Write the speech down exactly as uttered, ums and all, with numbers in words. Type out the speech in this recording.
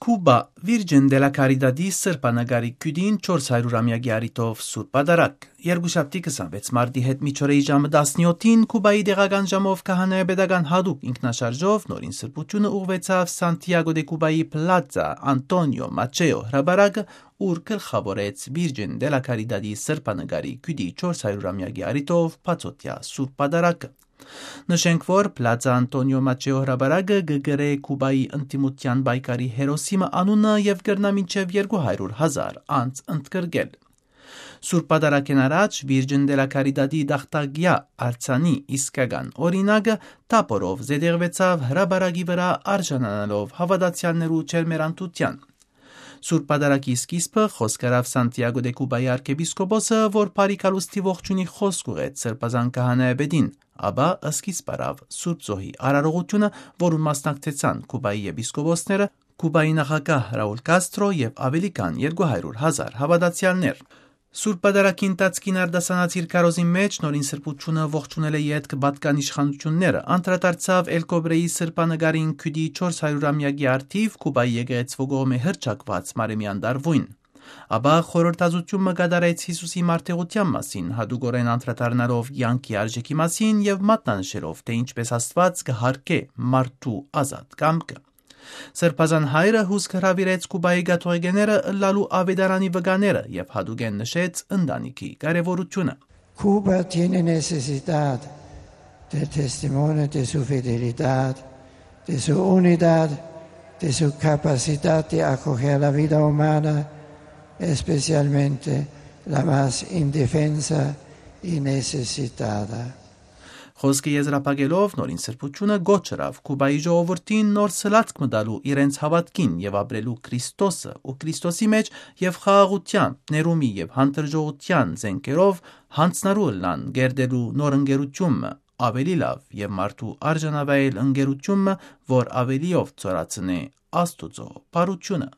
Կուբա, Վիրջին դե լա Քարիտատի սրբանկարի քիւտին չորս հարիւր ամեակի առիթով Սուրբ Պատարագ։ Երկուշաբթի քսանվեց մարտի հետ միջօրեի ժամը տասնեօթին Կուբայի տեղական ժամով քահանայապետական յատուկ ինքնաշարժով նորին սրբութիւնը ուղղուեցաւ Սանտիագո դե Կուբայի Պլացա Անտոնիո Մաչեո հրապարակը, ուր գլխաւորեց Վիրջին դե լա Քարիտատի սրբանկարի քիւտի չորս հարիւր ամեակի առիթով բացօթեայ Սուրբ Պատարագը։ Նշենք, որ Պլացա Անտոնիո Մաչեո հրապարակը կը կրէ Կուբայի ընդդիմութեան պայքարի հերոսի մը անունը եւ կրնայ մինչեւ երկու հարիւր հազար անձ ընդգրկել։ Սուրբ Պատարագէն առաջ Վիրջին դե լա Քարիտատի տախտակեայ արձանի իսկական օրինակը թափօրով զետեղուեցաւ հրապարակի վրայ, արժանանալով հաւատացեալներու ջերմեռանդութեան։ Սուրբ Պատարագի սկիզբը խօսք առաւ Սանտիագո դե Կուբայի արքեպիսկոպոսը, որ բարի գալուստի ողջունի խօսք ուղղեց սրբազան քահանայապետին, ապա սկիզբ առաւ Սուրբ Զոհի արարողութիւնը, որուն մասնակցեցան Կուբայի եպիսկոպոսները, Կուբայի նախագահ Ռաուլ Կաստրո եւ աւելի քան երկու հարիւր հազար հաւատացեալներ։ Սուրբ Պատարագի ընթացքին արտասանած իր քարոզին մէջ նորին սրբութիւնը ողջունելէ ետք պատկան իշխանութիւնները անդրադարձաւ Էլկոբրեի սրբանկարին քիւտի չորս հարիւր ամեակի առթիւ Կուբայի եկեղեցւոյ կողմէ հռչակուած Մարեմեան տարուին։ Ապա խորհրդածութիւն մը կատարեց Յիսուսի մարտեղութեան մասին, յատուկօրէն անդրադառնալով կեանքի արժէքի մասին եւ մատնանշելով, թէ ինչպէս Աստուած կը յարգէ մարդու ազատ կամքը։ Սրբազան հայրը հուսք հրաւիրեց Կուբայի կաթողիկեները ըլլալու աւետարանի վկաները եւ յատուկէն նշեց ընտանիքի կարեւորութիւնը։ Cuba tiene necesidad del testimonio de su fidelidad, de su unidad, de su capacidad de acoger la vida humana, especialmente la más indefensa y necesitada. Խօսքը եզրափակելով նորին սրբութիւնը կոչ ըրաւ Կուբայի ժողովուրդին նոր սլացք մը տալու իրենց հաւատքին եւ ապրելու Քրիստոսը ու Քրիստոսի մէջ եւ խաղաղութեան, ներումի եւ հանդրժողութեան զէնքերով յանձնառու ըլլան կերտելու նոր ընկերութիւն մը, աւելի լաւ եւ մարդու արժանավայել ընկերութիւն մը, որ աւելիով ծորացնէ Աստուծոյ բարութիւնը։